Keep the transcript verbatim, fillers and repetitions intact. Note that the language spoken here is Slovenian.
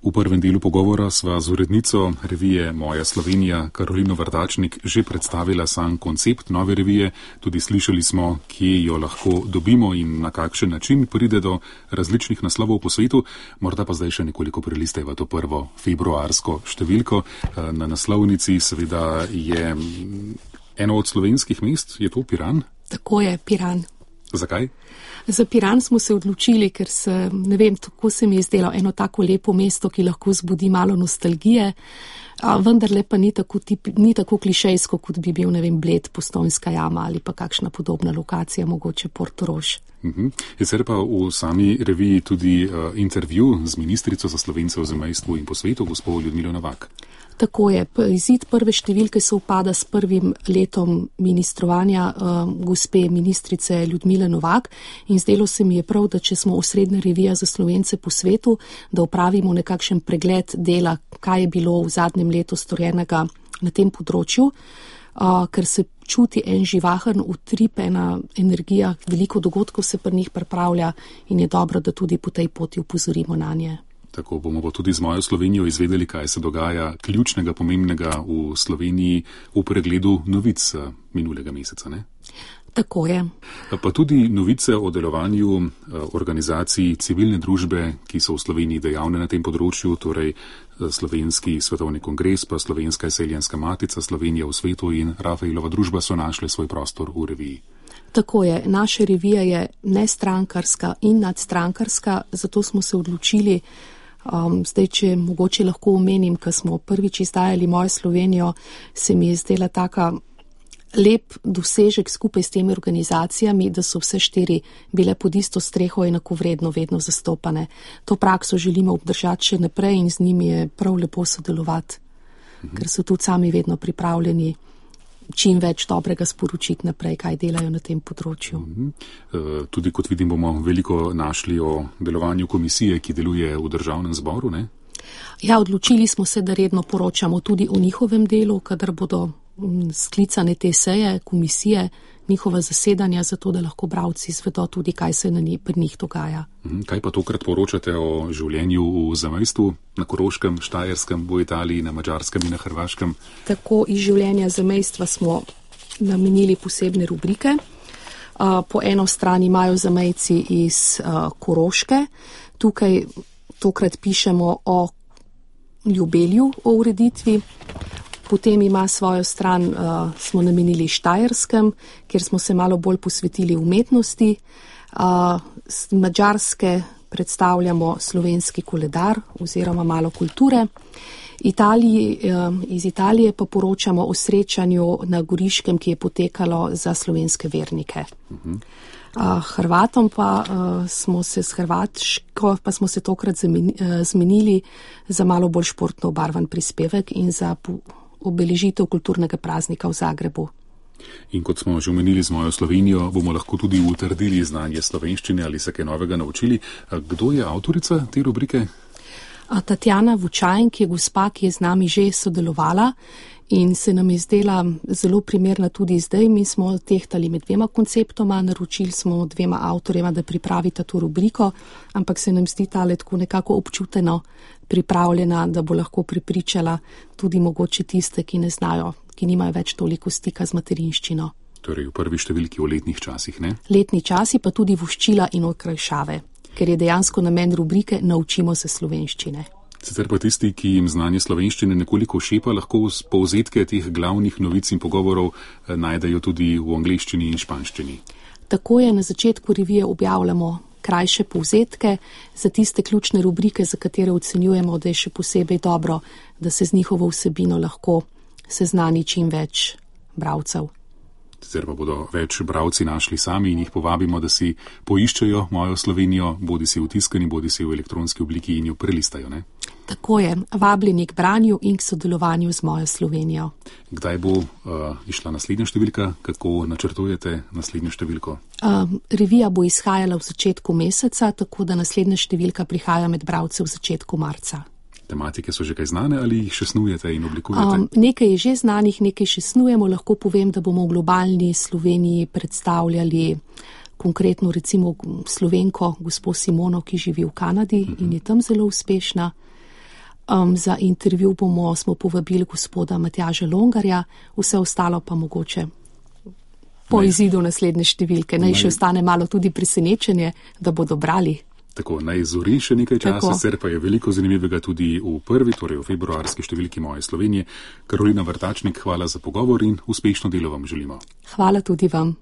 V prvem delu pogovora sva z urednico revije Moja Slovenija Karolino Vrtačnik že predstavila sam koncept nove revije, tudi slišali smo, kje jo lahko dobimo in na kakšen način pride do različnih naslovov po svetu. Morda pa zdaj še nekoliko prelisteva to prvo februarsko številko. Na naslovnici seveda je eno od slovenskih mest, je to Piran? Tako je, Piran. Zakaj? Za Piran smo se odločili, ker se, ne vem, tako se mi je zdelo eno tako lepo mesto, ki lahko zbudi malo nostalgije, a vendarle pa ni tako, tip, ni tako klišejsko, kot bi bil, ne vem, Bled, Postojnska jama ali pa kakšna podobna lokacija, mogoče Portorož. Uh-huh. Je sicer pa v sami reviji tudi uh, intervju z ministrico za Slovence v zamejstvu in po svetu, gospod Ljudmilo Novak. Tako je. Izid prve številke se upada s prvim letom ministrovanja uh, gospe ministrice Ljudmile Novak in zdelo se mi je prav, da če smo osrednja revija za Slovence po svetu, da opravimo nekakšen pregled dela, kaj je bilo v zadnjem letu storjenega na tem področju, uh, ker se čuti en živahen utrip, ena energija, veliko dogodkov se pri njih pripravlja in je dobro, da tudi po tej poti upozorimo na nje. Tako bomo pa tudi z Mojo Slovenijo izvedeli, kaj se dogaja ključnega, pomembnega v Sloveniji v pregledu novic minulega meseca, ne? Tako je. Pa tudi novice o delovanju organizacij civilne družbe, ki so v Sloveniji dejavne na tem področju, torej Slovenski svetovni kongres, pa Slovenska izseljenska matica, Slovenija v svetu in Rafaelova družba so našle svoj prostor v reviji. Tako je. Naša revija je nestrankarska in nadstrankarska, zato smo se odločili. Um, zdaj, če mogoče lahko omenim, ko smo prvič izdajali Mojo Slovenijo, se mi je zdela taka lep dosežek skupaj s temi organizacijami, da so vse štiri bile pod isto streho enakovredno vedno zastopane. To prakso želimo obdržati še naprej in z njimi je prav lepo sodelovati, mhm. ker so tudi sami vedno pripravljeni čim več dobrega sporočiti naprej, kaj delajo na tem področju. Uh-huh. Tudi kot vidim, bomo veliko našli o delovanju komisije, ki deluje v državnem zboru, ne? Ja, odločili smo se, da redno poročamo tudi o njihovem delu, kadar bodo sklicane te seje, komisije, njihova zasedanja, zato da lahko bralci izvedo tudi, kaj se na njih, pri njih dogaja. Kaj pa tokrat poročate o življenju v zamejstvu, na Koroškem, Štajerskem, v Italiji, na Madžarskem in na Hrvaškem? Tako iz življenja zamejstva smo namenili posebne rubrike. Po eno strani imajo zamejci iz Koroške. Tukaj tokrat pišemo o Ljubelju, o ureditvi. Potem ima svojo stran, uh, smo namenili Štajerskem, kjer smo se malo bolj posvetili umetnosti. Uh, z Madžarske predstavljamo slovenski koledar oziroma malo kulture. Italiji, uh, iz Italije pa poročamo o srečanju na Goriškem, ki je potekalo za slovenske vernike. Uh-huh. Uh, Hrvatom pa uh, smo se s Hrvaško, pa smo se tokrat zameni, uh, zmenili za malo bolj športno obarvan prispevek in za po, obeležitev kulturnega praznika v Zagrebu. In kot smo že omenili z Mojo Slovenijo, bomo lahko tudi utrdili znanje slovenščine ali se kaj novega naučili. Kdo je avtorica te rubrike? Tatjana Vučajn, ki je gospa, ki je z nami že sodelovala in se nam je zdela zelo primerna tudi zdaj. Mi smo tehtali med dvema konceptoma, naročili smo dvema avtorjema, da pripravita to rubriko, ampak se nam zdi tale tako nekako občuteno pripravljena, da bo lahko pripričala tudi mogoče tiste, ki ne znajo, ki nimajo več toliko stika z materinščino. Torej v prvi številki o letnih časih, ne? Letni časi pa tudi voščila in okrajšave, ker je dejansko namen rubrike Naučimo se slovenščine. Sicer pa tisti, ki jim znanje slovenščine nekoliko šepa, lahko povzetke teh glavnih novic in pogovorov najdejo tudi v angleščini in španščini. Tako je, na začetku revije objavljamo krajše povzetke za tiste ključne rubrike, za katere ocenjujemo, da je še posebej dobro, da se z njihovo vsebino lahko seznani čim več bralcev. Sicer pa bodo več bralci našli sami in jih povabimo, da si poiščejo Mojo Slovenijo, bodi si v tiskani, bodi si v elektronski obliki in jo prelistajo, ne? Tako je, vabljeni k branju in k sodelovanju z Mojo Slovenijo. Kdaj bo uh, išla naslednja številka? Kako načrtujete naslednjo številko? Uh, revija bo izhajala v začetku meseca, tako da naslednja številka prihaja med bralce v začetku marca. Tematike so že kaj znane ali jih še snujete in oblikujete? Um, nekaj je že znanih, nekaj še snujemo. Lahko povem, da bomo v globalni Sloveniji predstavljali konkretno recimo Slovenko, gospo Simono, ki živi v Kanadi uh-huh. in je tam zelo uspešna. Um, za intervju bomo, smo povabili gospoda Matjaža Longarja, vse ostalo pa mogoče po naj, izidu naslednje številke. Naj, naj še ostane malo tudi presenečenje, da bodo brali. Tako, naj zori še nekaj časa, sicer pa je veliko zanimivega tudi v prvi, torej v februarski številki Moje Slovenije. Karolina Vrtačnik, hvala za pogovor in uspešno delo vam želimo. Hvala tudi vam.